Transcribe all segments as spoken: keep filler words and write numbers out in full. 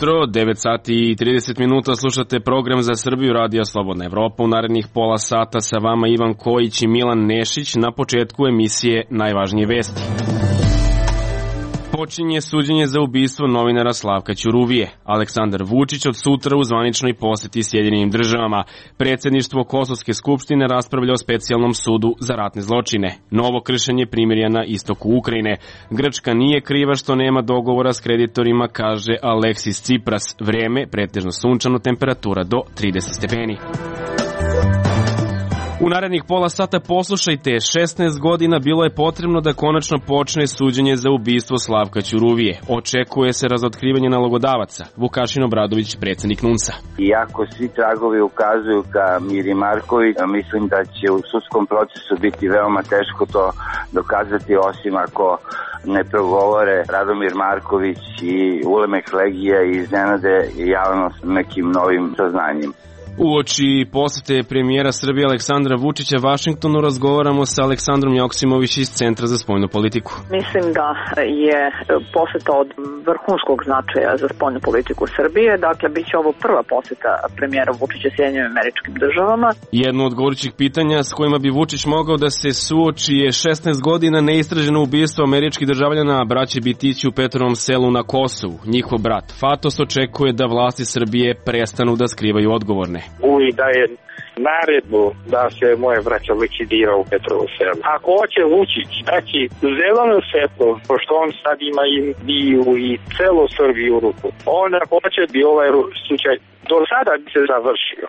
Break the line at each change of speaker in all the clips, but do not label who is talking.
jutro, devet sati i trideset minuta, slušate program za Srbiju Radija Slobodna Evropa. U narednih pola sata sa vama Ivan Kojić i Milan Nešić. Na početku emisije najvažnije vesti. Počinje suđenje za ubistvo novinara Slavka Ćuruvije. Aleksandar Vučić od sutra u zvaničnoj poseti Sjedinjenim državama. Predsjedništvo Kosovske skupštine raspravlja o specijalnom sudu za ratne zločine. Novo kršenje primirja na istoku Ukrajine. Grčka nije kriva što nema dogovora s kreditorima, kaže Aleksis Tsipras. Vreme, pretežno sunčano, temperatura do trideset stepeni. U narednih pola sata poslušajte, šesnaest godina bilo je potrebno da konačno počne suđenje za ubistvo Slavka Ćuruvije. Očekuje se razotkrivanje nalogodavaca. Vukašin Obradović, predsjednik NUNS-a.
Iako svi tragovi ukazuju ka Miri Marković, mislim da će u sudskom procesu biti veoma teško to dokazati, osim ako ne progovore Radomir Marković i Ulemek Legija i iznenade javnost nekim novim saznanjima.
Uoči posete premijera Srbije Aleksandra Vučića Vašingtonu razgovaramo sa Aleksandrom Joksimović iz Centra za spoljnu politiku.
Mislim da je poseta od vrhunskog značaja za spoljnu politiku Srbije. Dakle, bit će ovo prva poseta premijera Vučića Sjedinjenim Američkim Državama.
Jedno od gorućih pitanja s kojima bi Vučić mogao da se suoči je šesnaest godina neistraženo ubistvo američkih državljana braće Bitići u Petrovom selu na Kosovu. Njihov brat Fatos očekuje da vlasti Srbije prestanu da skrivaju odgovorne.
Uvijek daje naredbu da se moje braća likvidira u Petrovu selu. Ako hoće Vučić daći zeleno svetlo, pošto on sad ima i biju i celu Srbiju u ruku, onda hoće bi ovaj slučaj do sada bi se završio.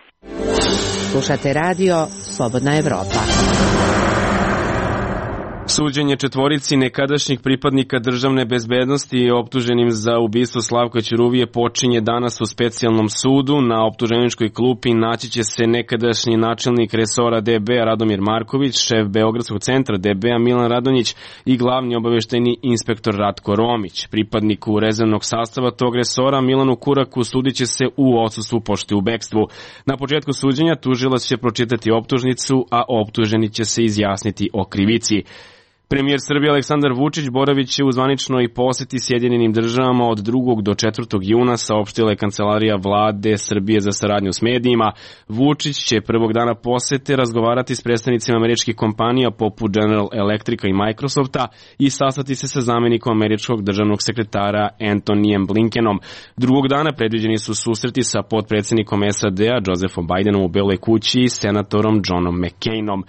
Slušate radio Slobodna Evropa.
Suđenje četvorici nekadašnjih pripadnika državne bezbednosti optuženim za ubistvo Slavka Ćuruvije počinje danas u specijalnom sudu. Na optuženičkoj klupi naći će se nekadašnji načelnik resora D B-a Radomir Marković, šef Beogradskog centra D B-a Milan Radonjić i glavni obaveštajni inspektor Ratko Romić. Pripadniku rezervnog sastava tog resora Milanu Kuraku sudit će se u odsustvu pošto je u bekstvu. Na početku suđenja tužilac će pročitati optužnicu, a optuženi će se izjasniti o krivici. Premijer Srbije Aleksandar Vučić boravit će u zvaničnoj poseti Sjedinjenim državama od drugog do četvrtog juna, saopštila je Kancelarija vlade Srbije za saradnju s medijima. Vučić će prvog dana posete razgovarati s predstavnicima američkih kompanija poput General Electrica i Microsofta i sastati se sa zamjenikom američkog državnog sekretara Antonijem Blinkenom. Drugog dana predviđeni su susreti sa potpredsjednikom S A D-a Josephom Bidenom u Beloj kući i senatorom Johnom McCainom.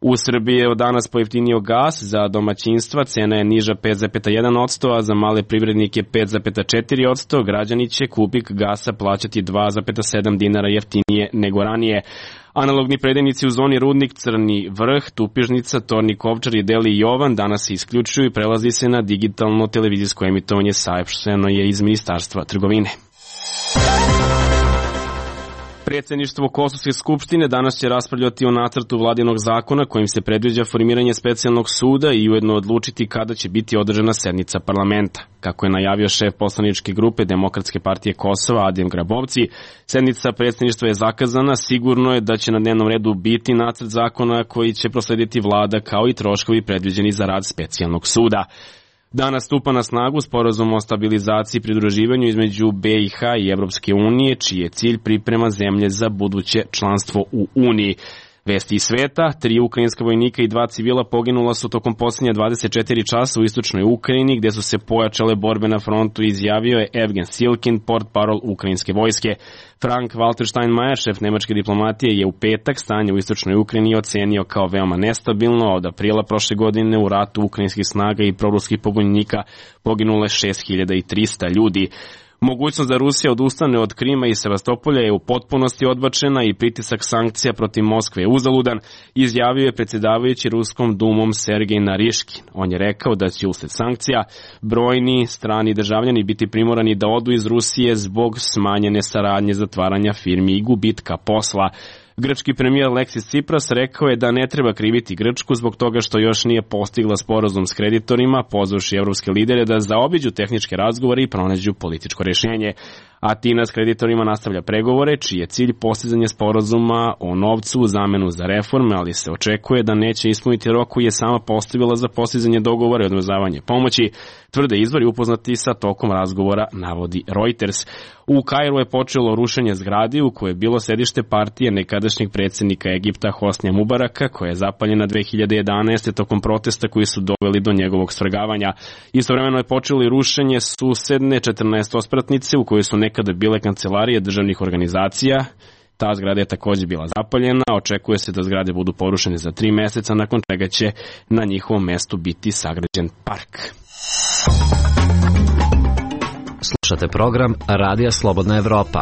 U Srbiji je od danas pojeftinio gas, za domaćinstva cena je niža pet zarez jedan posto, a za male privrednike pet zarez četiri posto. Građani će kubik gasa plaćati dva zarez sedam dinara jeftinije nego ranije. Analogni predajnici u zoni Rudnik, Crni Vrh, Tupižnica, Tornik Ovčar i Deli Jovan danas se isključuju i prelazi se na digitalno televizijsko emitovanje, saopšteno je iz Ministarstva trgovine. Predsjedništvo Kosovske skupštine danas će raspravljati o nacrtu vladinog zakona kojim se predviđa formiranje specijalnog suda i ujedno odlučiti kada će biti održana sednica parlamenta. Kako je najavio šef poslaničke grupe Demokratske partije Kosova Adem Grabovci, sednica predsjedništva je zakazana, sigurno je da će na dnevnom redu biti nacrt zakona koji će proslediti vlada kao i troškovi predviđeni za rad specijalnog suda. Danas stupa na snagu sporazum o stabilizaciji i pridruživanju između B i H i Evropske unije, čiji je cilj priprema zemlje za buduće članstvo u Uniji. Vesti iz sveta, tri ukrajinska vojnika i dva civila poginula su tokom posljednje dvadeset četiri časa u istočnoj Ukrajini, gdje su se pojačale borbe na frontu, izjavio je Evgen Silkin, portparol ukrajinske vojske. Frank Walter Steinmeier, šef nemačke diplomatije, je u petak stanje u istočnoj Ukrajini ocenio kao veoma nestabilno. Od aprila prošle godine u ratu ukrajinskih snaga i proruskih pobunjenika poginule šest hiljada trista ljudi. Mogućnost da Rusija odustane od Krima i Sevastopolja je u potpunosti odbačena i pritisak sankcija protiv Moskve je uzaludan, izjavio je predsjedavajući Ruskom dumom Sergej Nariškin. On je rekao da će usled sankcija brojni strani državljani biti primorani da odu iz Rusije zbog smanjene saradnje, zatvaranja firmi i gubitka posla. Grčki premijer Aleksis Tsipras rekao je da ne treba kriviti Grčku zbog toga što još nije postigla sporazum s kreditorima, pozvavši evropske lidere da zaobiđu tehničke razgovore i pronađu političko rješenje. Atina s kreditorima nastavlja pregovore, čiji je cilj postizanje sporazuma o novcu u zamenu za reforme, ali se očekuje da neće ispuniti rok koji je sama postavila za postizanje dogovora i odmrzavanje pomoći, tvrde izvori upoznati sa tokom razgovora, navodi Reuters. U Kairu je počelo rušenje zgradi u kojoj je bilo sedište partije nekadašnjeg predsjednika Egipta Hosnija Mubaraka, koja je zapaljena dve hiljade jedanaeste. tokom protesta koji su doveli do njegovog svrgavanja. Istovremeno je počelo i rušenje susedne četrnaestospratnice u kojoj su nekada bile kancelarije državnih organizacija. Ta zgrada je također bila zapaljena, očekuje se da zgrade budu porušene za tri meseca, nakon čega će na njihovom mestu biti sagrađen park.
Slušate program Radija Slobodna Evropa.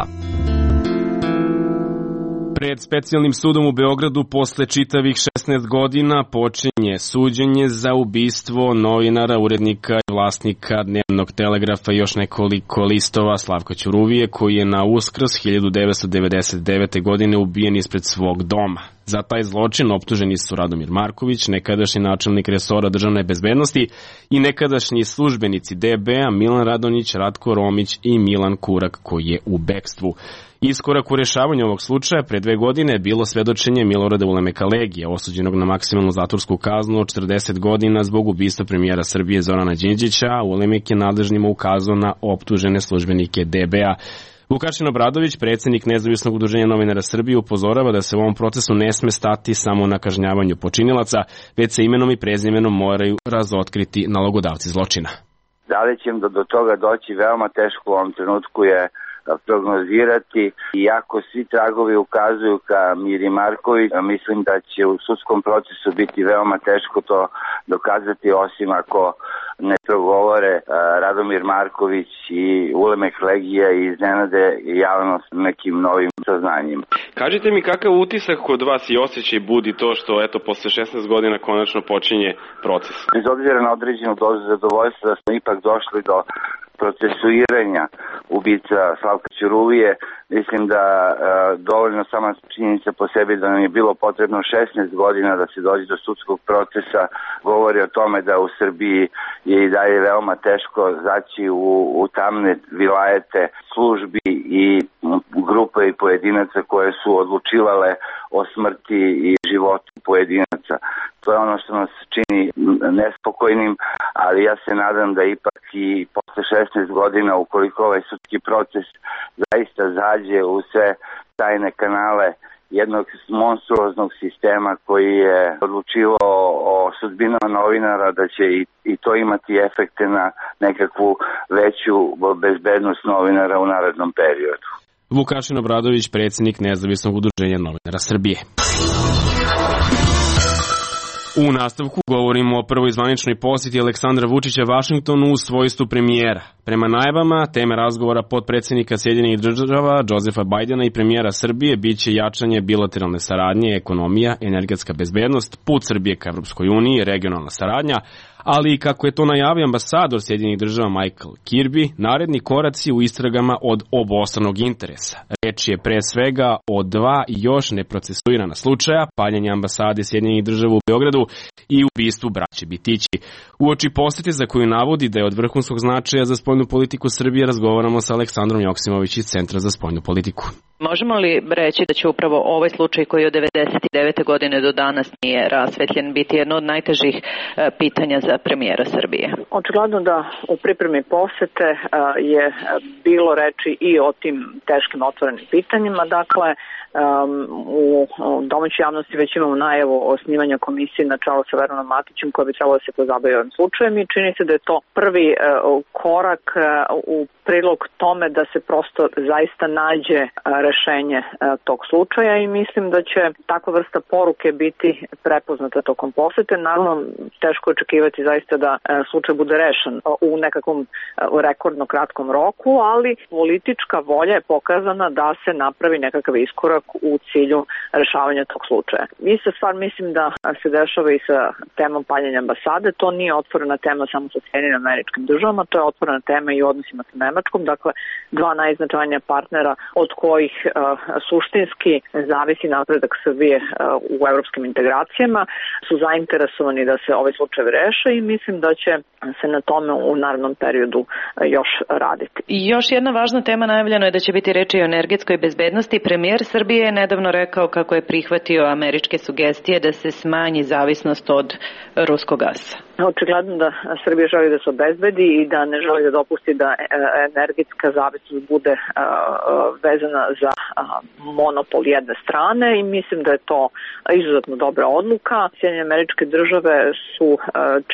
Pred specijalnim sudom u Beogradu posle čitavih šesnaest godina počinje suđenje za ubistvo novinara, urednika i vlasnika Dnevnog telegrafa i još nekoliko listova Slavka Ćuruvije, koji je na Uskrs hiljadu devetsto devedeset devete. godine ubijen ispred svog doma. Za taj zločin optuženi su Radomir Marković, nekadašnji načelnik resora državne bezbednosti, i nekadašnji službenici D B-a Milan Radonjić, Ratko Romić i Milan Kurak, koji je u bekstvu. Iskorak u rešavanju ovog slučaja pre dve godine je bilo svedočenje Milorada Ulemeka Legija, osuđenog na maksimalnu zatvorsku kaznu od četrdeset godina zbog ubistva premijera Srbije Zorana Đinđića, a Ulemek je nadležnima ukazao na optužene službenike D B-a. Vukašin Obradović, predsjednik Nezavisnog udruženja novinara Srbije, upozorava da se u ovom procesu ne sme stati samo na kažnjavanju počinilaca, već se imenom i prezimenom moraju razotkriti nalogodavci zločina.
Da li će do, do toga doći veoma teško u ovom trenutku je prognozirati, iako svi tragovi ukazuju ka Miri Marković, mislim da će u sudskom procesu biti veoma teško to dokazati, osim ako ne progovore Radomir Marković i Ulemek Legija i iznenade javnost nekim novim saznanjima.
Kažite mi, kakav utisak kod vas i osjećaj budi to što eto posle šesnaest godina konačno počinje proces?
Bez obzira na određenu dozu zadovoljstva da smo ipak došli do procesuiranja ubica Slavka Ćuruvije, mislim da e, dovoljno sama činjenica po sebi da nam je bilo potrebno šesnaest godina da se dođe do sudskog procesa govori o tome da u Srbiji je i dalje veoma teško zaći u, u tamne vilajete službi i grupe i pojedinaca koje su odlučivale o smrti i životu pojedinaca. To je ono što nas čini nespokojnim, ali ja se nadam da ipak i posle šesnaest godina, ukoliko ovaj sudski proces zaista zađe u sve tajne kanale jednog monstruoznog sistema koji je odlučivao o sudbinama novinara, da će i, i to imati efekte na nekakvu veću bezbednost novinara u narednom periodu.
Vukašin Obradović, predsjednik Nezavisnog udruženja novinara Srbije. U nastavku govorimo o prvoj zvaničnoj posjeti Aleksandra Vučića Vašingtonu u svojstvu premijera. Prema najavama, teme razgovora potpredsjednika Sjedinjenih Država Josefa Bajdena i premijera Srbije biće jačanje bilateralne saradnje, ekonomija, energetska bezbednost, put Srbije ka Evropskoj uniji, regionalna saradnja, ali i kako je to najavio ambasador Sjedinjenih Država Michael Kirby, naredni koraci u istragama od obostranog interesa. Reč je pre svega o dva još neprocesuirana slučaja, paljenje ambasade Sjedinjenih Država u Beogradu i ubistvu braće Bitići. Uoči posete za koju navodi da je od vrhunskog značaja za spoljnu politiku Srbije, razgovaramo sa Aleksandrom Joksimović iz Centra za spoljnu politiku.
Možemo li reći da će upravo ovaj slučaj koji od devedeset devete. godine do danas nije rasvetljen biti jedno od najtežih pitanja za premijera Srbije?
Očigledno da u pripremi posete je bilo reči i o tim teškim otvorenim pitanjima. Dakle, u domaćoj javnosti već imamo najavu o osnivanju komisije na čelu sa Veronom Matićem koja bi trebalo da se pozabavi ovim slučajem i čini se da je to prvi korak u prilog tome da se prosto zaista nađe rešenje tog slučaja i mislim da će takva vrsta poruke biti prepoznata tokom posete. Naravno, teško očekivati zaista da slučaj bude rešen u nekakvom rekordno kratkom roku, ali politička volja je pokazana da se napravi nekakav iskorak u cilju rešavanja tog slučaja. Ista stvar mislim da se dešava i sa temom paljenja ambasade. To nije otvorena tema samo sa Sjedinjenim Američkim Državama, to je otvorena tema i u odnosima sa Nemačkom, dakle dva najznačajnija partnera od kojih uh, suštinski zavisi napredak Srbije uh, u evropskim integracijama su zainteresovani da se ovaj slučaj reše i mislim da će se na tome u narednom periodu još raditi.
I još jedna važna tema, najavljeno je da će biti reči o energetskoj bezbednosti. Premijer Srbije je nedavno rekao kako je prihvatio američke sugestije da se smanji zavisnost od ruskog gasa.
Očigledno da Srbija želi da se obezbedi i da ne želi da dopusti da energetska zavisnost bude vezana za monopol jedne strane i mislim da je to izuzetno dobra odluka. Sjedinjene Američke Države su,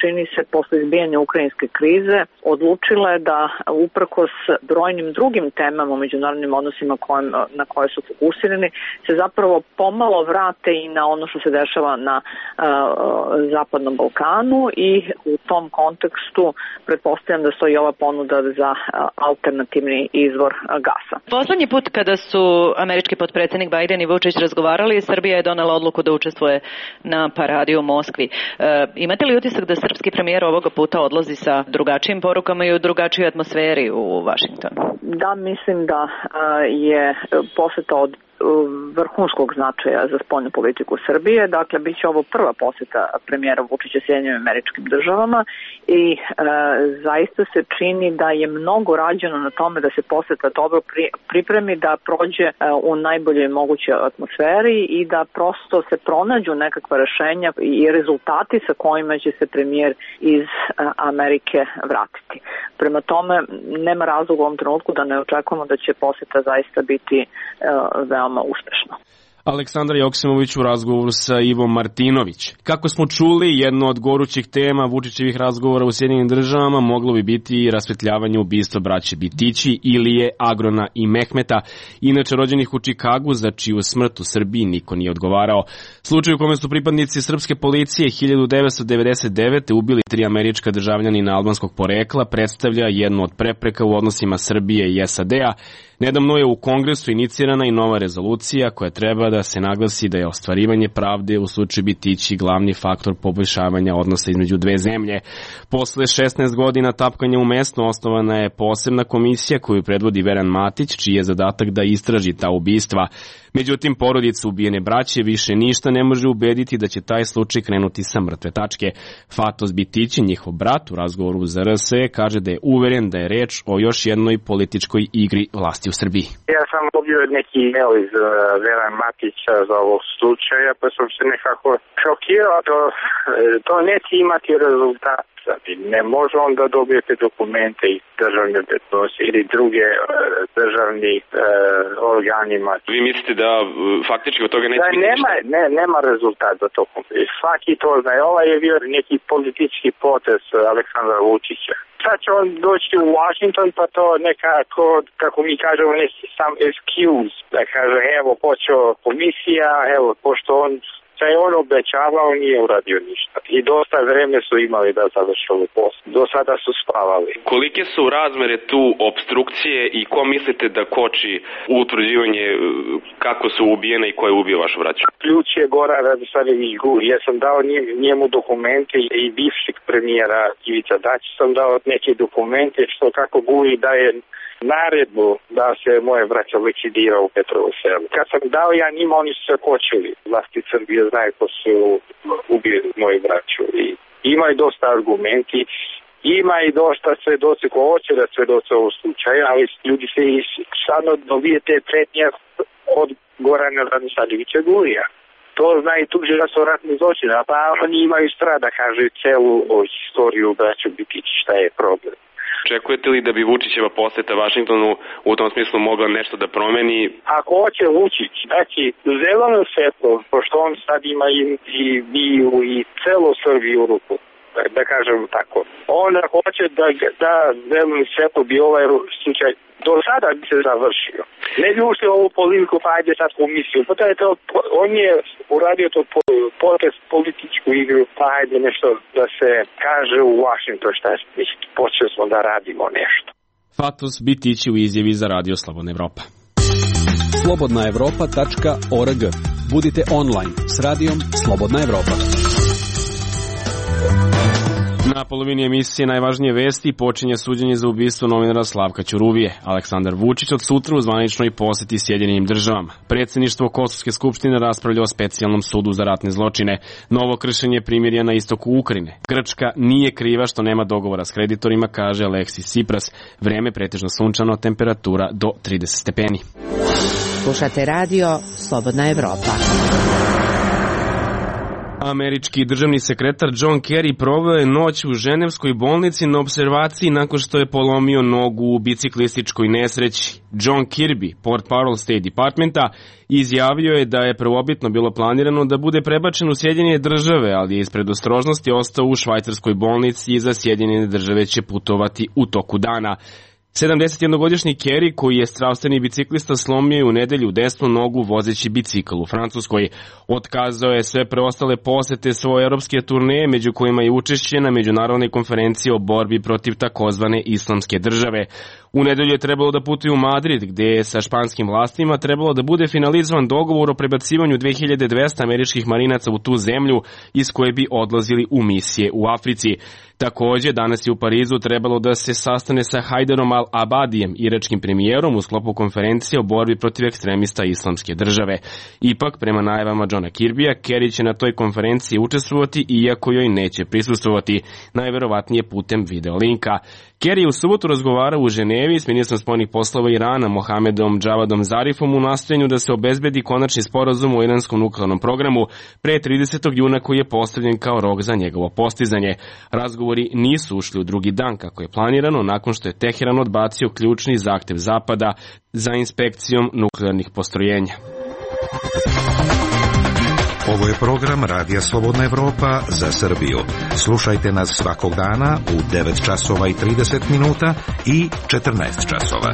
čini se, posle izbijanja ukrajinske krize odlučile da uprkos brojnim drugim temama u međunarodnim odnosima kojem, na koje su fokusirani se zapravo pomalo vrate i na ono što se dešava na uh, Zapadnom Balkanu i u tom kontekstu pretpostavljam da stoji ova ponuda za uh, alternativni izvor uh, gasa.
Poslednji put kada su američki potpredsednik Biden i Vučić razgovarali, Srbija je donela odluku da učestvuje na paradi u Moskvi. Uh, imate li utisak da srpski premijer ovoga puta odlazi sa drugačijim porukama i u drugačijoj atmosferi u Vašingtonu?
Da, mislim da je poseta od vrhunskog značaja za spoljnu politiku Srbije. Dakle, bit će ovo prva poseta premijera Vučića Sjedinjenim Američkim Državama i e, zaista se čini da je mnogo rađeno na tome da se poseta dobro pri, pripremi, da prođe e, u najboljoj mogućoj atmosferi i da prosto se pronađu nekakva rešenja i rezultati sa kojima će se premijer iz e, Amerike vratiti. Prema tome, nema razloga u ovom trenutku da ne očekujemo da će poseta zaista biti e, veoma uspešno.
Aleksandar Joksimović u razgovoru sa Ivom Martinović. Kako smo čuli, jedno od gorućih tema Vučićevih razgovora u Sjedinjenim Državama moglo bi biti i rasvetljavanje ubistva braće Bitići, Ilije, Agrona i Mehmeta, inače rođenih u Čikagu, za čiju smrt u Srbiji niko nije odgovarao. Slučaj u kome su pripadnici srpske policije hiljadu devetsto devedeset devete ubili tri američka državljanina albanskog porekla predstavlja jednu od prepreka u odnosima Srbije i S A D-a. Nedavno je u Kongresu inicirana i nova rezolucija koja treba da se naglasi da je ostvarivanje pravde u slučaju Bitići glavni faktor poboljšavanja odnosa između dve zemlje. Posle šesnaest godina tapkanja u mestu osnovana je posebna komisija koju predvodi Veran Matić, čiji je zadatak da istraži ta ubistva. Međutim, porodica ubijene braće više ništa ne može ubediti da će taj slučaj krenuti sa mrtve tačke. Fatos Bitići, njihov brat, u razgovoru za R S kaže da je uveren da je reč o još jednoj političkoj igri vlasti u Srbiji.
Ja sam dobio neki email iz uh, Veran Matića za ovog slučaja, pa sam se nekako šokirao, to, to neće imati rezultat. Ne može on da dobijete dokumente iz državne bezbednosti ili druge uh, državni uh, organima.
Vi mislite da uh, faktički od toga neće
da,
biti
nema,
ništa?
Ne, nema rezultat za to. Svaki to zna. Ovaj je bio neki politički potez Aleksandra Vučića. Sad će on doći u Washington pa to nekako, kako mi kažemo, neki sam excuse. Da kaže, evo, počeo komisija, evo, pošto on što je on obećavao, nije uradio ništa. I dosta vreme su imali da završili posao. Do sada su spavali.
Kolike su razmere tu obstrukcije i ko mislite da koči utvrđivanje kako su ubijene i ko je ubio vašu braću?
Ključ je Goran Radosavljević Guri. Ja sam dao njemu dokumente i bivšeg premijera Ivica Dačić sam dao neke dokumente što kako Guri daje naredbu da se moje braća likvidira u Petrovu selu. Kad sam dao ja njima, oni su se kočili. Vlasti Srbije znaju ko su ubili moji braću. I ima i dosta argumenti, ima i dosta svedoci ko hoće da svedoce ovog slučaja, ali ljudi se i sadno dobijete pretnje od Gorana Radosavljevića Gurija. To zna i tužilaštvo ratnih zločina, pa oni imaju strah da kažu celu istoriju braću Bitići šta je problem.
Očekujete li da bi Vučićeva poseta Vašingtonu u tom smislu mogla nešto da promeni?
Ako hoće Vučić, znači zeleno svetlo, pošto on sad ima i, i biju i celo Srbiju u ruku, da, da kažem tako. On ako hoće da, da zeleno svetlo bi ovaj slučaj do sada bi se završio. Ne bi ušli ovu politiku, pa ajde sad komisiju. Pa je to, on je uradio to potez političku igru, pa ajde nešto da se kaže u Washington šta je. Počeli smo da radimo nešto.
Fatos Bitići u izjavi za Radio Slobodna Evropa.
slobodna evropa tačka org. Budite online s radijom Slobodna Evropa.
Na polovini emisije Najvažnije vesti počinje suđenje za ubistvo novinara Slavka Ćuruvije. Aleksandar Vučić od sutra u zvaničnoj poseti Sjedinjenim državama. Predsjedništvo Kosovske skupštine raspravlja o specijalnom sudu za ratne zločine. Novo kršenje primirja na istoku Ukrajine. Grčka nije kriva što nema dogovora s kreditorima, kaže Aleksis Tsipras. Vreme pretežno sunčano, temperatura do trideset stepeni.
Slušate radio Slobodna Evropa.
Američki državni sekretar John Kerry proveo je noć u ženevskoj bolnici na observaciji nakon što je polomio nogu u biciklističkoj nesreći. John Kirby, portparol State Departmenta, izjavio je da je prvobitno bilo planirano da bude prebačen u Sjedinjene države, ali je iz predostrožnosti ostao u švajcarskoj bolnici i za Sjedinjene države će putovati u toku dana. sedamdesetjednogodišnji Kerry, koji je zdravstveni biciklista, slomio je u nedelju desnu nogu vozeći bicikl u Francuskoj. Otkazao je sve preostale posete svoje europske turneje, među kojima je učešće na međunarodnoj konferenciji o borbi protiv takozvane islamske države. U nedelju je trebalo da putuje u Madrid, gde je sa španskim vlastima trebalo da bude finalizovan dogovor o prebacivanju dve hiljade dvesta američkih marinaca u tu zemlju iz koje bi odlazili u misije u Africi. Takođe, danas je u Parizu trebalo da se sastane sa Hajderom al-Abadijem, iračkim premijerom, u sklopu konferencije o borbi protiv ekstremista islamske države. Ipak, prema najavama Johna Kirbija, Kerry će na toj konferenciji učestvovati, iako joj neće prisustvovati, najverovatnije putem videolinka. Kerry je u subotu razgovarao u Ženevi s ministrom spoljnih poslova Irana Mohamedom Javadom Zarifom u nastojanju da se obezbedi konačni sporazum o iranskom nuklearnom programu pre tridesetog juna, koji je postavljen kao rok za njegovo postizanje. Razgovori nisu ušli u drugi dan kako je planirano, nakon što je Teheran odbacio ključni zahtev Zapada za inspekcijom nuklearnih postrojenja.
Ovo je program Radija Slobodna Evropa za Srbiju. Slušajte nas svakog dana u devet časova i trideset minuta i četrnaest časova.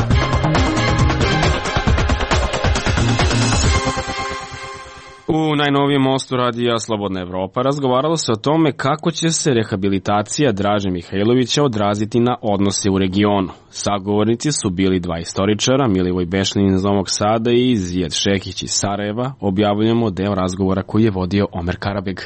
U najnovijem mostu Radija Slobodna Evropa razgovaralo se o tome kako će se rehabilitacija Draže Mihajlovića odraziti na odnose u regionu. Sagovornici su bili dva istoričara, Milivoj Bešlin iz Novog Sada i Zijad Šekić iz Sarajeva. Objavljujemo deo razgovora koji je vodio Omer Karabeg.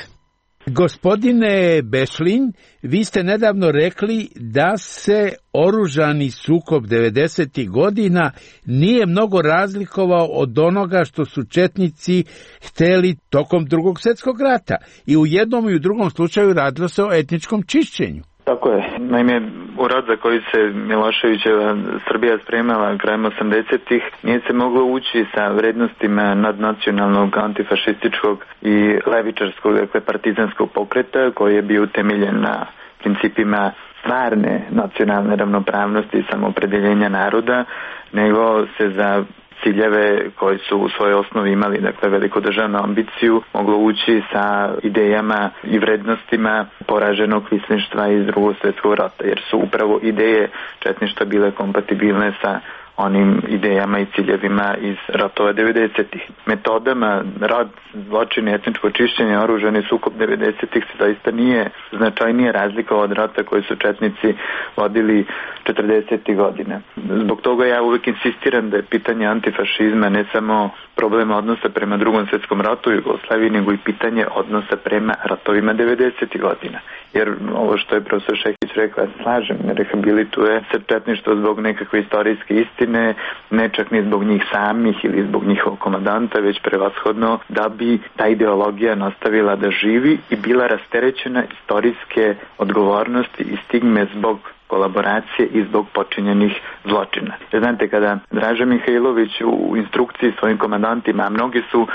Gospodine Bešlin, vi ste nedavno rekli da se oružani sukob devedesetih godina nije mnogo razlikovao od onoga što su četnici hteli tokom Drugog svjetskog rata. I u jednom i u drugom slučaju radilo se o etničkom čišćenju.
Tako je. Naime, u rat za koji se Miloševićeva Srbija spremala krajem osamdesetih nije se moglo ući sa vrednostima nadnacionalnog, antifašističkog i levičarskog, dakle partizanskog pokreta koji je bio utemeljen na principima stvarne nacionalne ravnopravnosti i samoopredeljenja naroda, nego se za ciljeve koji su u svojoj osnovi imali, dakle veliku državnu ambiciju, moglo ući sa idejama i vrednostima poraženog kvisništva iz Drugog svjetskog rata, jer su upravo ideje četništva bile kompatibilne sa onim idejama i ciljevima iz ratova devedesetih. Metodama rad, zločine, etničko čišćenje, oružani sukob devedesetih se zaista nije značajnije razlikovao od rata koji su četnici vodili četrdesetih godina. Zbog toga ja uvek insistiram da je pitanje antifašizma ne samo problema odnosa prema Drugom svjetskom ratu u Jugoslaviji, nego i pitanje odnosa prema ratovima devedesetih godina. Jer ovo što je profesor Šekić rekla, slažem, ne rehabilituje se četništvo zbog nekakve istorijske istine, ne čak ni zbog njih samih ili zbog njihovog komandanta, već prevashodno da bi ta ideologija nastavila da živi i bila rasterećena istorijske odgovornosti i stigme zbog kolaboracije i zbog počinjenih zločina. Znate, kada Draža Mihajlović u instrukciji svojim komandantima, a mnogi su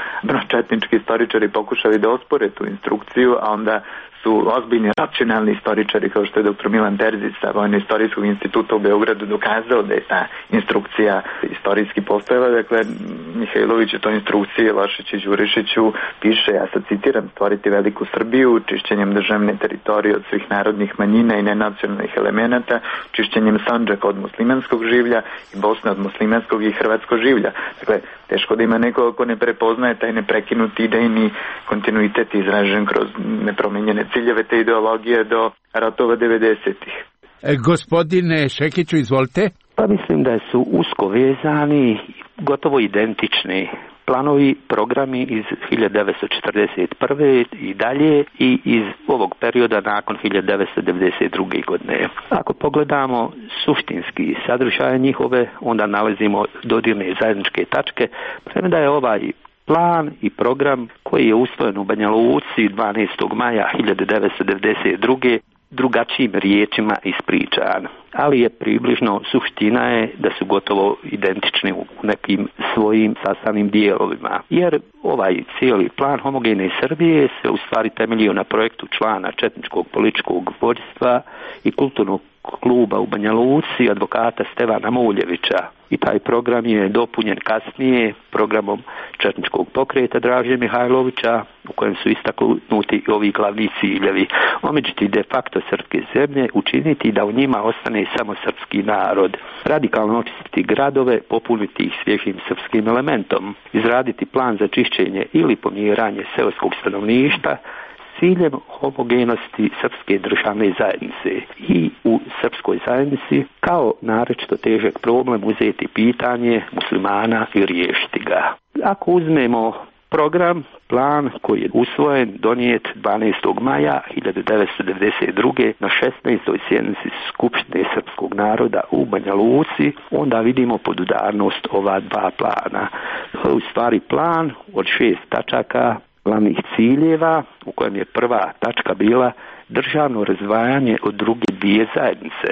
četnički istoričari pokušali da ospore tu instrukciju, a onda su ozbiljni racionalni istoričari kao što je doktor Milan Terzić sa Vojno-istorijskog instituta u Beogradu dokazao da je ta instrukcija istorijski postojala. Dakle, Mihajlović u toj instrukciji Lašiću i Đurišiću piše, ja sad citiram, stvoriti veliku Srbiju čišćenjem državne teritorije od svih narodnih manjina i nenacionalnih elemenata, čišćenjem Sandžaka od muslimanskog življa i Bosne od muslimanskog i hrvatskog življa. Dakle, teško da ima neko ko ne prepoznaje taj neprekinuti idejni kontinuitet izražen kroz nepromenjene ciljeve te ideologije do ratova devedesetih.
E, gospodine Šekiću, izvolite.
Pa mislim da su usko vezani, gotovo identični planovi, programi iz hiljadu devetsto četrdeset prve i dalje i iz ovog perioda nakon hiljadu devetsto devedeset druge godine. Ako pogledamo suštinski sadržaj njihove, onda nalazimo dodirne zajedničke tačke, premda je ovaj plan i program koji je usvojen u Banja Luci dvanaestog maja hiljadu devetsto devedeset druge drugačijim riječima ispričan, ali je približno suština je da su gotovo identični u nekim svojim sastavnim dijelovima, jer ovaj cijeli plan homogene Srbije se u stvari temeljio na projektu člana četničkog političkog vođstva i kulturnog kluba u Banja Luci, advokata Stevana Muljevića, i taj program je dopunjen kasnije programom četničkog pokreta Draže Mihajlovića, u kojem su istaknuti ovi glavni ciljevi: omeđiti de facto srpske zemlje, učiniti da u njima ostane samo srpski narod, radikalno očistiti gradove, popuniti ih svježim srpskim elementom, izraditi plan za čišćenje ili pomjeranje seoskog stanovništva s ciljem homogenosti srpske državne zajednice i u srpskoj zajednici kao naročito težak problem uzeti pitanje muslimana i riješiti ga. Ako uzmemo program, plan koji je usvojen, donijet dvanaestog maja hiljadu devetsto devedeset druge na šesnaestoj sjednici Skupštine srpskog naroda u Banja Luci, onda vidimo podudarnost ova dva plana. U stvari plan od šest tačaka glavnih ciljeva, u kojem je prva tačka bila državno razdvajanje od druge dvije zajednice,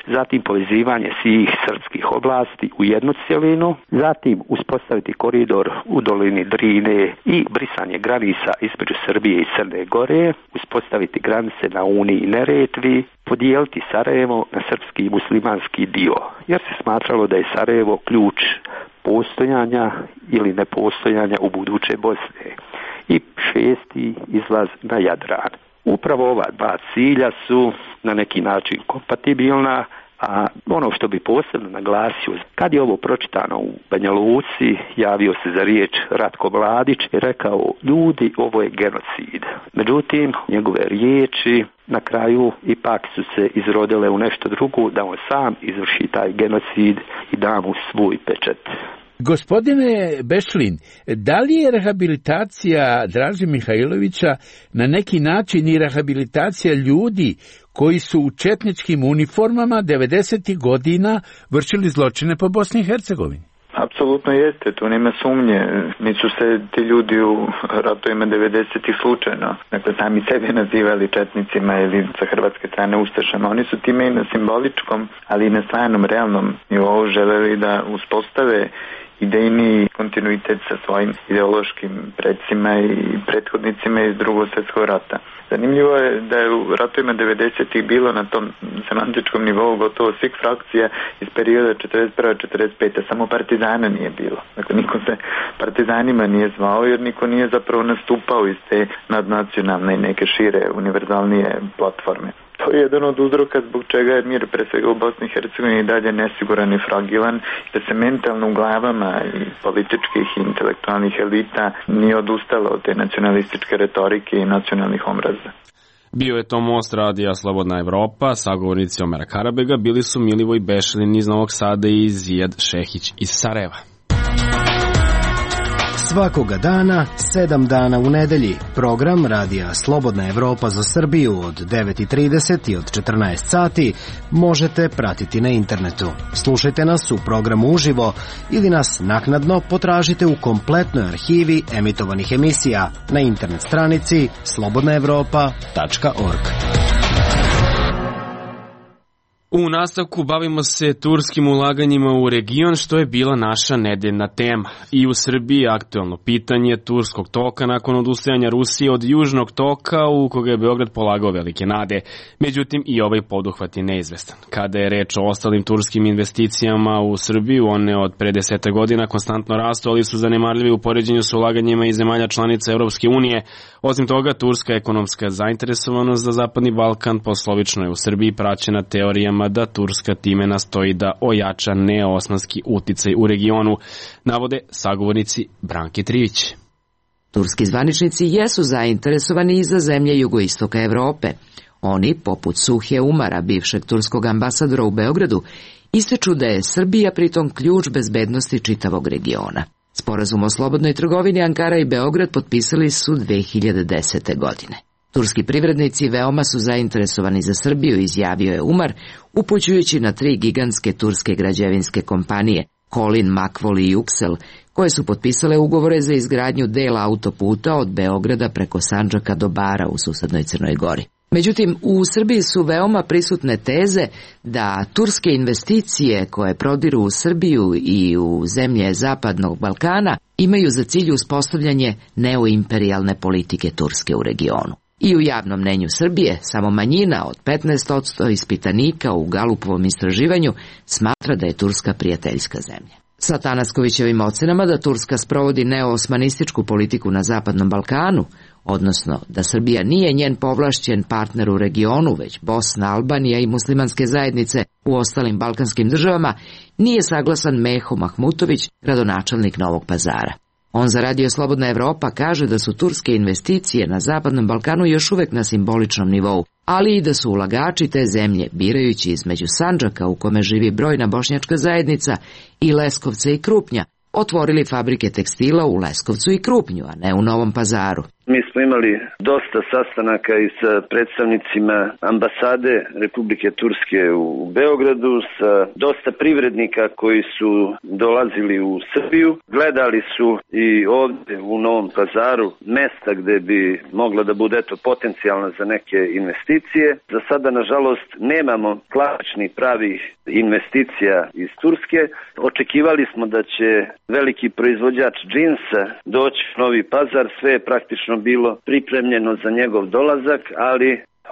zatim povezivanje svih srpskih oblasti u jednu cjelinu, zatim uspostaviti koridor u dolini Drine i brisanje granica između Srbije i Crne Gore, uspostaviti granice na Uni i Neretvi, podijeliti Sarajevo na srpski i muslimanski dio, jer se smatralo da je Sarajevo ključ postojanja ili nepostojanja u buduće Bosne, i šesti izlaz na Jadran. Upravo ova dva cilja su na neki način kompatibilna, a ono što bi posebno naglasio, kad je ovo pročitano u Banja Luci, javio se za riječ Ratko Mladić i rekao: ljudi, ovo je genocid. Međutim, njegove riječi na kraju ipak su se izrodile u nešto drugo, da on sam izvrši taj genocid i da mu svoj pečat.
Gospodine Bešlin, da li je rehabilitacija Draže Mihajlovića na neki način i rehabilitacija ljudi koji su u četničkim uniformama devedesetih godina vršili zločine po Bosni i Hercegovini?
Apsolutno jeste, tu nema sumnje. Nisu se ti ljudi u ratovima devedesetih slučajno, dakle, sami sebe nazivali četnicima ili sa hrvatske strane ustašama. Oni su time i na simboličkom, ali i na stvarnom, realnom nivou želeli da uspostave idejni kontinuitet sa svojim ideološkim predsima i prethodnicima iz Drugog svjetskog rata. Zanimljivo je da je u ratovima devedesetih bilo na tom semantičkom nivou gotovo svih frakcija iz perioda četrdeset prve do četrdeset pete Samo partizana nije bilo. Dakle, niko se partizanima nije zvao jer niko nije zapravo nastupao iz te nadnacionalne i neke šire, univerzalnije platforme. To je jedan od uzroka zbog čega je mir pre svega u Bosni i Hercegovini i dalje nesiguran i fragilan, da se mentalno u glavama i političkih i intelektualnih elita nije odustalo od te nacionalističke retorike i nacionalnih omraza.
Bio je to Most radija Slobodna Evropa, sagovornici Omera Karabega bili su Milivoj Bešlin iz Novog Sada i Zijad Šehić iz Sarajeva.
Svakoga dana, sedam dana u nedelji, program Radija Slobodna Evropa za Srbiju od devet i trideset i od četrnaest sati možete pratiti na internetu. Slušajte nas u programu uživo ili nas naknadno potražite u kompletnoj arhivi emitovanih emisija na internet stranici slobodna evropa tačka org.
U nastavku bavimo se turskim ulaganjima u region, što je bila naša nedeljna tema. I u Srbiji aktuelno pitanje turskog toka nakon odustajanja Rusije od južnog toka u koga je Beograd polagao velike nade. Međutim, i ovaj poduhvat je neizvestan. Kada je reč o ostalim turskim investicijama u Srbiju, one od pre deseta godina konstantno rastu, ali su zanemarljivi u poređenju sa ulaganjima iz zemalja članica Evropske unije. Osim toga, turska ekonomska zainteresovanost za Zapadni Balkan poslovično je u Srbiji praćena teorijama da Turska time nastoji da ojača neosmanski uticaj u regionu, navode sagovornici Branke Trivić.
Turski zvaničnici jesu zainteresovani i za zemlje jugoistoka Evrope. Oni, poput Suhe Umara, bivšeg turskog ambasadora u Beogradu, ističu da je Srbija pritom ključ bezbednosti čitavog regiona. Sporazum o slobodnoj trgovini Ankara i Beograd potpisali su dve hiljade desete. godine. Turski privrednici veoma su zainteresovani za Srbiju, izjavio je Umar, upućujući na tri gigantske turske građevinske kompanije, Kolin, Makvol i Yuksel, koje su potpisale ugovore za izgradnju dela autoputa od Beograda preko Sandžaka do Bara u susednoj Crnoj Gori. Međutim, u Srbiji su veoma prisutne teze da turske investicije koje prodiru u Srbiju i u zemlje Zapadnog Balkana imaju za cilj uspostavljanje neoimperijalne politike Turske u regionu. I u javnom mnenju Srbije samo manjina od petnaest posto ispitanika u Galupovom istraživanju smatra da je Turska prijateljska zemlja. Sa Tanaskovićevim ocenama da Turska sprovodi neoosmanističku politiku na Zapadnom Balkanu, odnosno da Srbija nije njen povlašćen partner u regionu, već Bosna, Albanija i muslimanske zajednice u ostalim balkanskim državama, nije saglasan Meho Mahmutović, gradonačelnik Novog Pazara. On za Radio Slobodna Evropa kaže da su turske investicije na Zapadnom Balkanu još uvek na simboličnom nivou, ali i da su ulagači te zemlje, birajući između Sandžaka u kome živi brojna bošnjačka zajednica i Leskovca i Krupnja, otvorili fabrike tekstila u Leskovcu i Krupnju, a ne u Novom Pazaru.
Mi smo imali dosta sastanaka i sa predstavnicima ambasade Republike Turske u Beogradu, sa dosta privrednika koji su dolazili u Srbiju. Gledali su i ovdje u Novom Pazaru mesta gde bi mogla da bude eto potencijalna za neke investicije. Za sada, nažalost, nemamo klasičnih pravih investicija iz Turske. Očekivali smo da će veliki proizvođač džinsa doći u Novi Pazar, sve je praktično bilo pripremljeno za njegov dolazak, ali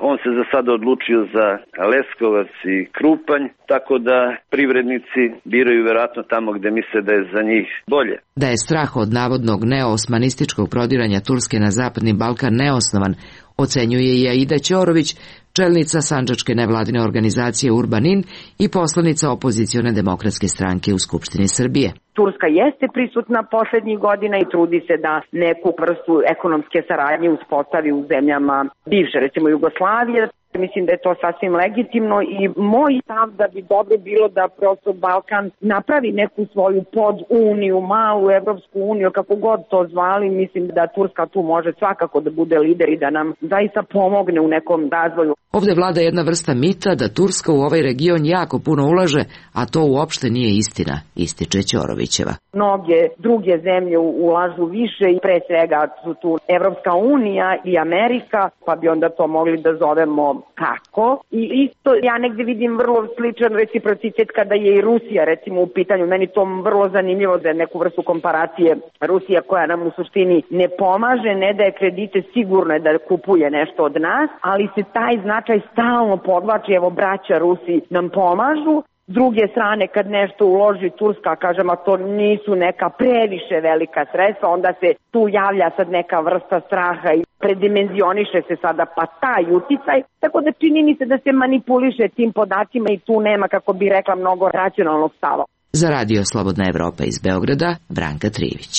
on se za sada odlučio za Leskovac i Krupanj, tako da privrednici biraju verovatno tamo gde misle da je za njih bolje.
Da je strah od navodnog neoosmanističkog prodiranja Turske na Zapadni Balkan neosnovan, ocenjuje i Aida Ćorović, čelnica sandžačke nevladine organizacije Urbanin i poslanica opozicione demokratske stranke u Skupštini Srbije.
Turska jeste prisutna poslednjih godina i trudi se da neku vrstu ekonomske saradnje uspostavi u zemljama bivše, recimo Jugoslavije. Mislim da je to sasvim legitimno i moj stav da bi dobro bilo da prosto Balkan napravi neku svoju poduniju, malu Evropsku uniju, kako god to zvali. Mislim da Turska tu može svakako da bude lider i da nam zaista pomogne u nekom razvoju.
Ovde vlada jedna vrsta mita da Turska u ovaj region jako puno ulaže, a to uopšte nije istina, ističe Ćorovićeva.
Mnoge druge zemlje ulažu više i pre svega su tu Evropska unija i Amerika, pa bi onda to mogli da zovemo kako. I isto ja negde vidim vrlo sličan reciprocitet kada je i Rusija recimo u pitanju. Meni to vrlo zanimljivo za neku vrstu komparacije. Rusija koja nam u suštini ne pomaže, ne daje kredite, sigurno je da kupuje nešto od nas, ali se taj značaj stalno podvlači, evo braća Rusi nam pomažu. S druge strane, kad nešto uloži Turska, kažem, a to nisu neka previše velika sredstva, onda se tu javlja sad neka vrsta straha i predimenzioniše se sada pa taj uticaj. Tako da čini mi se da se manipuliše tim podacima i tu nema, kako bi rekla, mnogo racionalnog stava.
Za Radio Slobodna Evropa iz Beograda, Branka Trivić.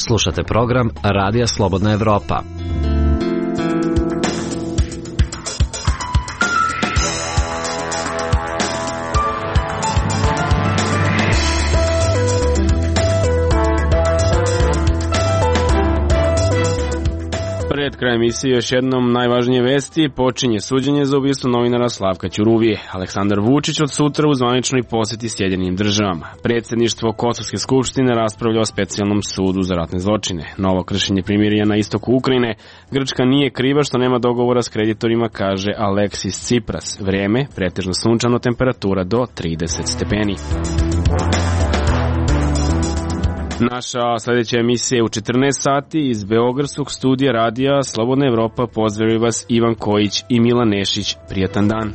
Slušate program Radija Slobodna Evropa.
Pred krajem emisije još jednom najvažnije vesti. Počinje suđenje za ubistvo novinara Slavka Ćuruvije. Aleksandar Vučić od sutra u zvaničnoj poseti Sjedinjenim državama. Predsjedništvo Kosovske skupštine raspravlja o specijalnom sudu za ratne zločine. Novo kršenje primirja na istoku Ukrajine. Grčka nije kriva što nema dogovora s kreditorima, kaže Aleksis Tsipras. Vreme, pretežno sunčano, temperatura do trideset stepeni. Naša sljedeća emisija je u četrnaest sati iz Beogradskog studija radija Slobodna Evropa. Pozdravljaju vas Ivan Kojić i Milan Nešić. Prijatan dan.